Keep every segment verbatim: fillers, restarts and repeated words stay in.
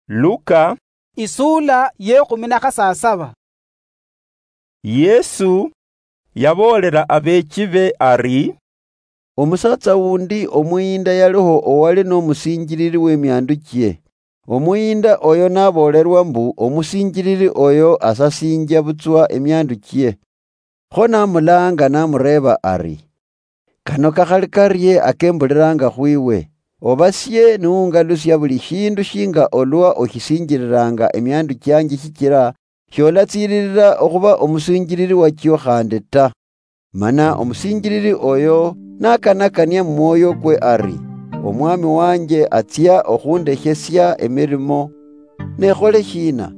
Luka. Isula yekhumi na khasasaba. Yesu yaboolela abeechibe ari, "Omusatsa wundi omuyinda yaliho owali nomusinjilili wemiandu chie. Omuyinda oyo naboolelwa mbu omusinjilili oyo asasinjia butswa emiandu chie. Kho namulaanga namureeba ari, 'Kano kakhali karie akembuliranga khwiwe? Obasie niungalusia buli shindu shinga olwa oshisinjililanga emiandu chianje shichira sholatsiililila okhuba omusinjilili wachio khandi ta.' Mana omusinjilili oyo nakanakania mumwoyokwe ari, 'Omwami wanje atsia okhundeshesia emirimo, ne khole shina?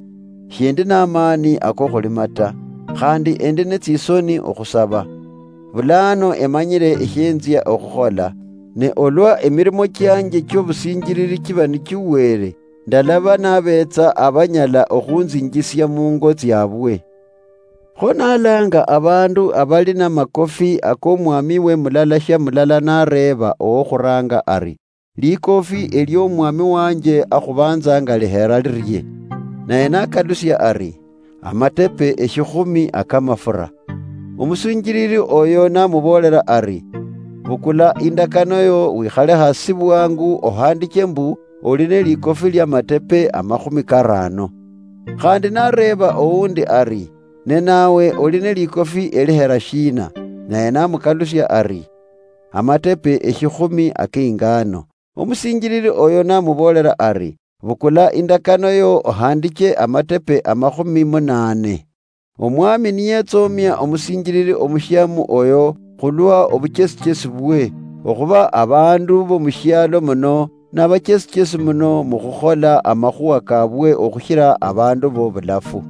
Shindi namani akokhulima ta, khandi endi netsisoni okhusaba. Bulano emanyile eshienzia okhukhola, ne olwa emirimo chianje chiobusinjilili chiba nichiwere, ndalaba nabetsa abanyala okhunzinjisia mungo tsiabwe.' Kho nalanga abandu abali namakofi akomwamiwe mulala shia mulala nareeba owokhuranga ari, 'Likofi eliomwami wanje akhubanzanga lihera lirie?' Naye nakalusia ari, 'Amatepe eshikhumi akamafura.' Omusinjilili oyo namuboolera ari, 'Bukula indakano yo wikhale hasi bwangu ohandiche mbu oli nelikofi liamatepe amakhumi karano.' Khandi nareeba oundi ari, 'Ne nawe oli nelikofi elihera shina?' Naye namukalusia ari, 'Amatepe eshikhumi akeingano.' Omusinjilili oyo namuboolera ari, 'Bukula indakano yo ohandiche amatepe amakhumi munane.' Omwami niyetsomia omusinjilili omushiamu oyo khulwa obuchesichesi bwe, okhuba abandu bomushialo muno nabachesichesi muno mukhukhola amakhuwa kabwe okhushira abandu bobulafu.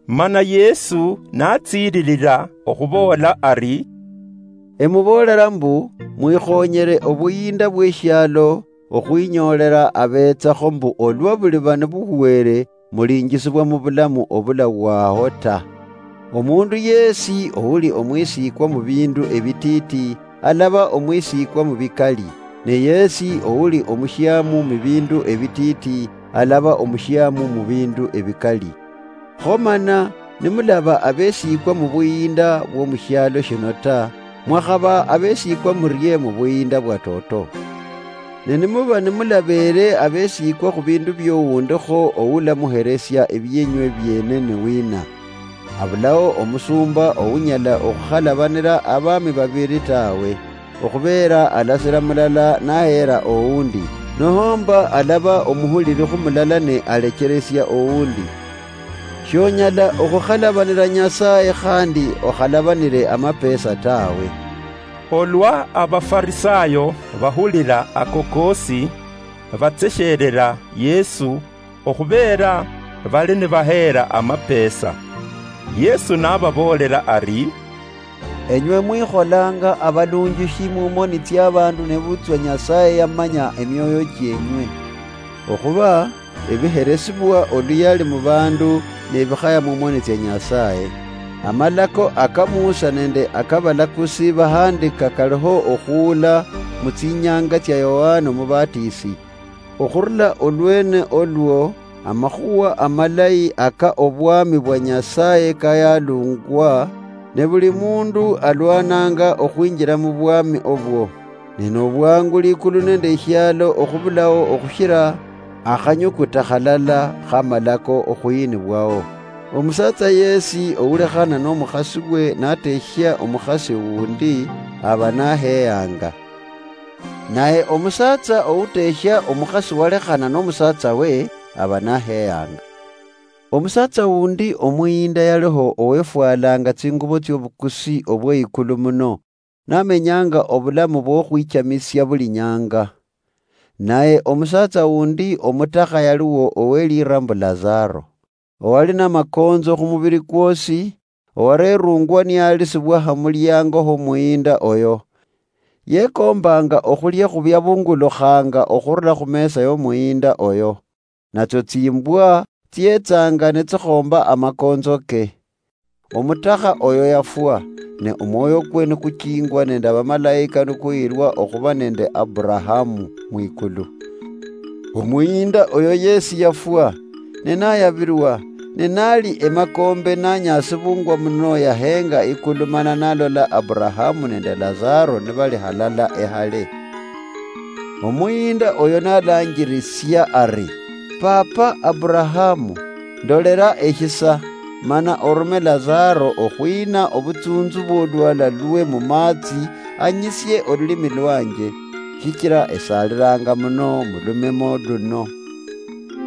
Mana Yesu natsiililila okhuboola ari, "Emuboolera mbu, mwikhonyere obuyinda bweshialo okhwinyoolela abetsakho mbu olwa buliba nibuhwere mulinjisibwa mubulamu obulawaho ta. Omundu yesi ouli omwisikwa mubindu ebititi alaba omwisikwa mubikali, ne yesi ouli omushiamu mubindu ebititi alaba omushiamu mubindu ebikali. Kho mana nimulaba abesikwa mubuyinda bwomushialo shino ta, mwakhaba abesikwa murie mubuyinda bwatoto? Ne nimuba nimulabeere abesikwa khubindu biowundikho oulamuheresia ebienywe biene ni wina? Abulao omusumba ounyala okhukhalabanira abami babiri tawe, okhubeera alasira mulala naheera oundi, nohomba alaba omuhuliri khu mulala ne alecheresia oundi. Shonyala okhukhalabanira Nyasaye khandi okhalabanire amapesa tawe." Olwa Abafarisayo bahulira ako kosi, batsesherera Yesu, okhubeera bali nibaheera amapesa. Yesu nababoolera ari, "Enywe mwikholanga abalunjishi mumoni tsiabandu nebutswa Nyasaye yamanya emioyo chienywe. Okhuba ebiheresibwa oluyali mubandu nebikhaya mumoni tsia Nyasaye. Amalako aka Musa nende akabalakusi bahandika kaliho okhuula mutsinyanga tsia Yohana Omubatisi. Okhurula olwene olwo, amakhuwa amalayi aka obwami bwa Nyasaye kayalungwa, ne buli mundu alwananga okhwinjira mubwami obwo. Ne nobwangu likulu nende eshialo okhubulao okhushira akhanyukuta khalala khamalako okhuyinibwao. Omusatsa yesi oulekhana nomukhasiwe nateshia omukhasi wundi, aba naheyanga. Naye omusatsa outeshia omukhasi walekhana nomusatsawe, aba naheyanga. Omusatsa wundi omuyinda yaliho owefwalanga tsingubo tsiobukusi obweikulu muno, namenyanga obulamu bwokhwichamisia buli nyanga. Naye omusatsa wundi omutakha yaliwo owelira mbu Lazaro, owali namakonzo khumubiri kwosi, owarerungwa niyalisibwa hamuliango homuyinda oyo. Yekombanga okhulia khubia bungulukhanga okhurula khumesa yomuyinda oyo, natsio tsimbwa tsietsanga nitsikhomba amakonzo ke. Omutakha oyo yafwa, ne omwoyo kwe nikuchingwa nende abamalaika nikuyirwa okhuba nende Aburahamu mwikulu. Omuyinda oyo yesi yafwa, ne nayabilwa, ne nali emakombe nanyasibungwa muno yahenga ikulu mana nalola Aburahamu nende Lazaro nibali halala ehale. Omuyinda oyo nalanjirisia ari, 'Papa Aburahamu, ndolera eshisa, mana orume Lazaro okhwina obutsunzu bw'olwala lwe mumatsi, anyisie olulimi lwanje, shichira esalilanga muno mulumemo luno.'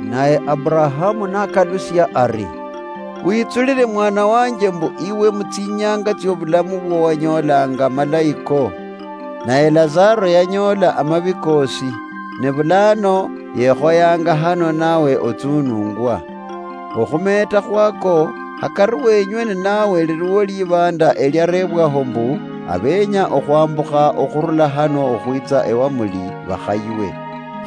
Naye Aburahamu nakalusia ari, 'Witsulire mwana wanje mbu iwe mutsinyanga tsiobulamu bwo wanyolanga malayiko, naye Lazaro yanyola amabi kosi, ne bulano yekhoyanga hano nawe otsunungwa. Okhumeta khwako, hakari wenywe ninawe liliwo libanda eliarebwaho mbu, abenya okhwambukha okhurula hano okhwitsa ewamuli bakhaywe,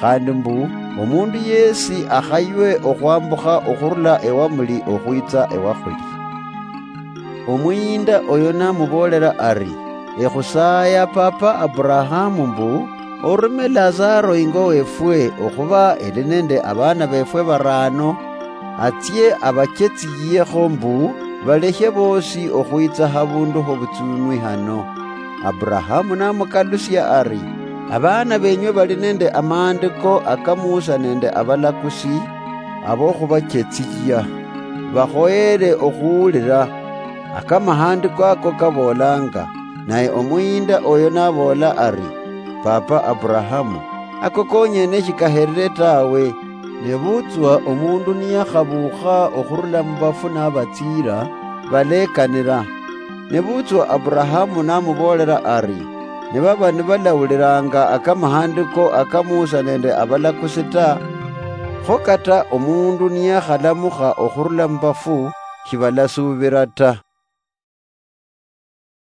khandi mbu, omundu yesi akhaywe okhwambukha okhurula ewamuli okhwitsa ewakhuli.' Omuyinda oyo namuboolera ari, 'Ekhusaya papa Aburahamu mbu, orume Lazaro ingo wefwe okhuba eli nende abana befwe barano, atsie abachetsiyekho mbu, balekhe bosi okhwitsa habundu hobutsunwi hano.' Aburahamu namukalusia ari, 'Abana benywe bali nende amaandiko aka Musa nende abalakusi, abokhubachetsiya, bakhoyere okhuwulira akamahandiko ako kaboolanga.' Naye omuyinda oyo naboola ari, 'Papa Aburahamu, ako konyene shikaherire tawe. Nebutswa omundu niyakhabuukha okhurula mubafu nabatsiira, balekanira.' Nebutswa Aburahamu namuboolera ari, 'Nibaba nibalawuliranga akamahandiko aka Musa nende abalakusi ta, kho kata omundu niyakhalamukha okhurula mubafu, shibalasuubira ta.'